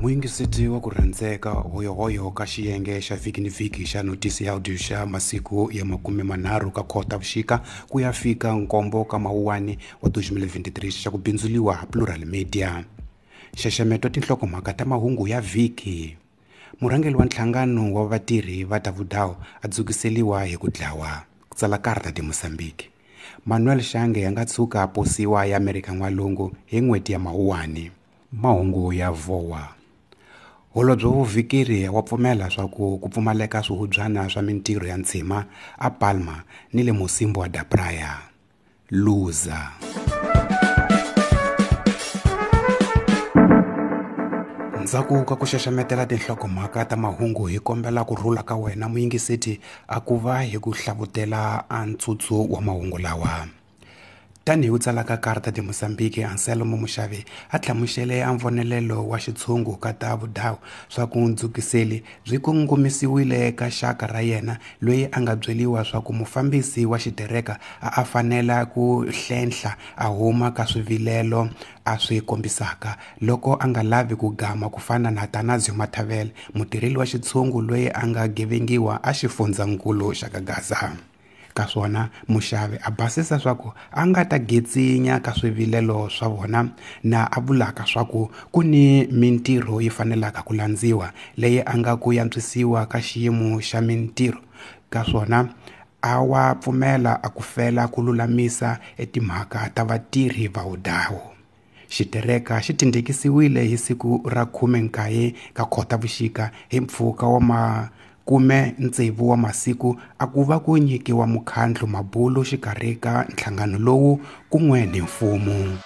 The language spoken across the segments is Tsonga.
Muyingiseti wa ku rhandzeka hoyohoyo ka xiyenge xa vhiki ni vhiki xa notisi ya audio xa masiku ya 30 ka Khotavuxika ku ya fika 7 ka Mawuwani wa 2023 xa ku bindzuliwa Plural Media. Nxaxameto wa tinhlokomhaka ta mahungu ya vhiki. Murhangeri wa nhlangano wa vatirhi va ta vudawu a dzukiseliwa hi ku dlawa. Ku tsala Carta de Mozambique. Manuel Shange a nga tshuka a posiwa ya Amerika N'walungu hi n'hweti ya Mawuwani. Mahungu ya VOA. Holobye wa vuvhikeri wa pfumela swa ku pfumaleka swihubyana swa mintirho ya ntshima a Palma ni le Mocimboa da Praia. Luza. Ndzhaku ka ku xaxametela tinhlokomhaka ta mahungu hi kombela ku rhula ka wena muyingiseti a ku va hi ku hlavutela a ntsutsu wa mahungu lawa. Tanihi ku tsala ka Carta de Mozambique, Anselmo Mushavi a hlamusele a mvonelelo wa xitshungu ka ta vudawu swa ku ndzukiseli byi kongomisiwile ka xaka ra yena loyi a nga byeliwa swa ku mufambisi wa xitereka a fanela ku hlenhla a huma ka swivilelo a swi kombisaka loko a nga lavi ku gama ku fana na Tanazio Mathavele, mutirheli wa xitshungu loyi a nga gevengiwa a xifundzankulu xa ka Gaza. Ka swona Mushavi a basisa swa ku a nga ta getsinya ka swivilelo swa vona na a vulaka swa ku ku ni mintirho yi fanelaka ku landziwa leyi a nga ku yantswisiwa ka xiyimo xa mintirho. Ka swona a wa pfumela a ku fela ku lulamisa etimhaka ta vatirhi va vudawu. Xitereka xi tindhikisiwile hi siku ra 19 ka Khotavuxika hi mpfhuka wa 16 wa masiku a ku va ku nyikiwa mukhandlu mabulu xikarhi ka nhlangano lowu kun'we ni mfumo.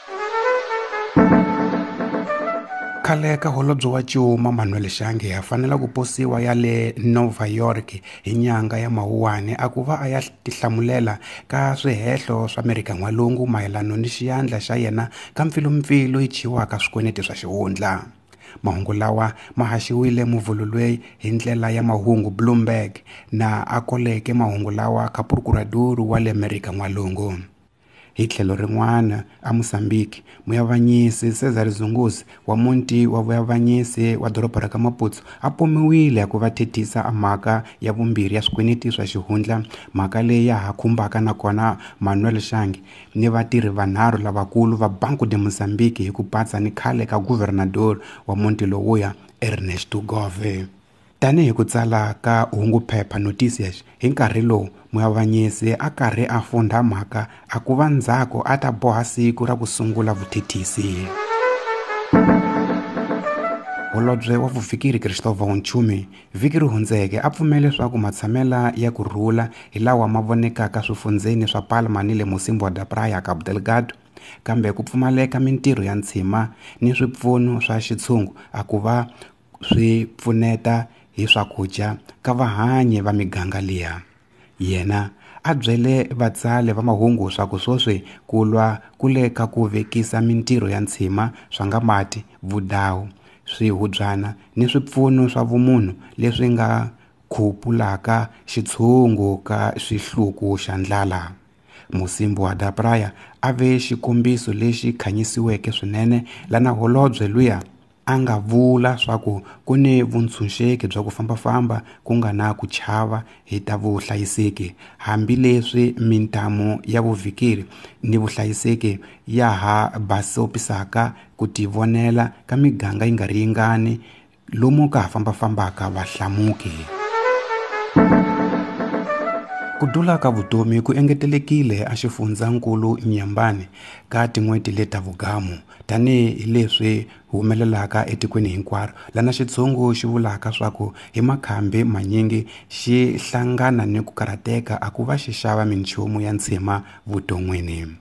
Khale ka holobye wa Cuma Manuel Shange a fanela ku posiwa ya le Nova York hi nyanga ya Mawuwani a ku va a ya tihlamulela ka swihehlo swa Amerika N'walungu mayelana ni xiyandla xa yena ka mpfilumpfilu yi chiwaka swikweleti swa xihundla. Mahungu lawa ma haxiwile muvhulu hi ndlela ya mahungu Bloomberg na a koleke mahungu lawa ka procurador wa le Amerika N'walungu. Hi tlhelo rin'wana a Mozambique, muyavanyisi Cesar Zunguzi wa muti wa vuyavanyisi wa doroba ra ka Maputo a pomiwile ku va thethisa mhaka ya vumbirhi ya swikweleti swa xihundla, mhaka leyi ya ha khumbaka nakona Manuel Shange ni vatirhi vanharhu lavakulu va Banco de Mozambique hi ku patsa ni khale ka guvernador wa muti lowuya Ernesto Gove. Tanihi ku tsala ka hunguphepha Noticias hi nkarhi lowu muyavanyisi a karhi a fundha mhaka a ku va ndzhaku a ta boha siku ra ku sungula vuthethisi. Holobye wa vuvhikeri Cristóvão Nchumi vhiki ri hundzeke a pfumele leswaku matshamela ya ku rhula hi lawa ma vonekaka swifundzeni swa Palma ni le Mocimboa da Praia Cabo Delgado, kambe ku pfumaleka mintirho ya ntshima ni swipfuno swa xitshungu a ku va swi pfuneta hi swakudya ka vahanyi va miganga liya. Yena a byele vatsali va mahungu swa ku sweswi ku lwa ku le ka ku vekisa mintirho ya ntshima swa nga mati, vudawu, swihubyana ni swipfuno swa vumunhu leswi nga khupulaka xitshungu ka xihluku xa ndlala. Mocimboa da Praia a ve xikombiso lexi khanyisiweke swinene lana holobye luya a nga vula swa ku ku ni vuntshunxeki bya ku fambafamba ku nga na ku chava hi ta vuhlayiseki, hambileswi mintamu ya vuvhikeri ni vuhlayiseki ya ha basopisaka ku tivonela ka miganga yi nga ri yingani lomu ka ha fambafambaka vahlamuki. Ku dula ka vutomi ku engetelekile a xifundzankulu Nyambani ka tin'hweti leta vugamu tanihi leswi humelelaka etikweni hinkwaro lana xitshungu xi vulaka swa ku hi makhambi manyingi xi hlangana ni ku karhateka a ku va xi xava minchumu ya ntshima vuton'wini.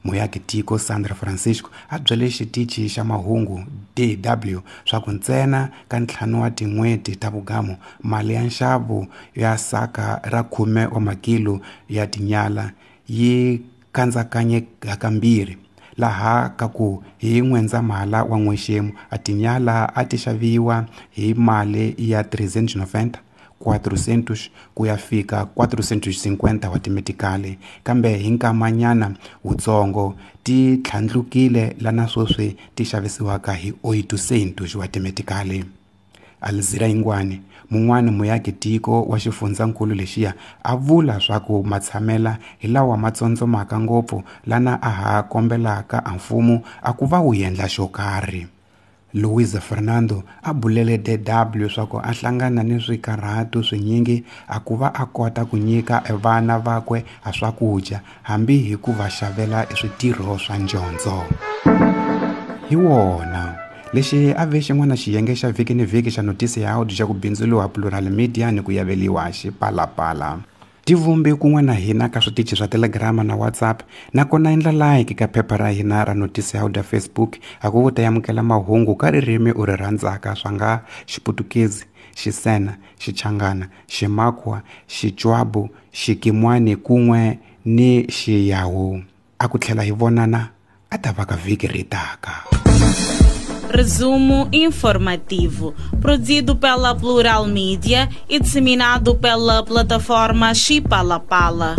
Muyaki tiko Sandra Francisco a byele xitichi xa mahungu DW swa ku ntsena ka 5 wa tin'hweti ta vugamu mali ya nxavo ya saka ra 10 wa makilo ya tinyala yi kandzakanye hakambirhi, laha ka ku hi N'wendzamhala wa n'wexemu a tinyala a ti xaviwa hi mali ya 390 400 ku ya fika 450 wa timetikali, kambe hi nkamanyana wutsongo ti tlhandlukile lana sweswi ti xavisiwaka hi 800 wa timetikali. Alzira Yingwani, mun'wana muyaki tiko wa xifundzankulu lexiya, a vula swa ku matshamela hi lawa ma tsondzomaka ngopfu lana a ha kombelaka a mfumo a ku va wu endla xo karhi. Luiza Fernando a bulele DW swa ku a hlangana ni swikarhato swinyingi a ku va a kota ku nyika vana vakwe a swakudya hambi hi ku va xavela switirho swa ndyondzo. Hi wona lexi a ve xin'wana xiyenge xa vhiki ni vhiki xa notisi ya audio xa ku bindzuriwa Plural Media ni ku yaveliwa Xipalapala. Tivumbi kun'we na hina ka switichi swa Telegram na WhatsApp, nakona endla like ka phepha ra hina ra notisi ya audio Facebook a ku ta amukela mahungu ka ririmi u ri rhandzaka swa nga Xiputukezi, Xisena, Xichangana, Ximakwa, Xitswabu, Xikimwani kun'we ni Xiyawu. A ku tlhela hi vonana a ta va ka vhiki ri taka. Resumo informativo, produzido pela Plural Mídia e disseminado pela plataforma Xipalapala.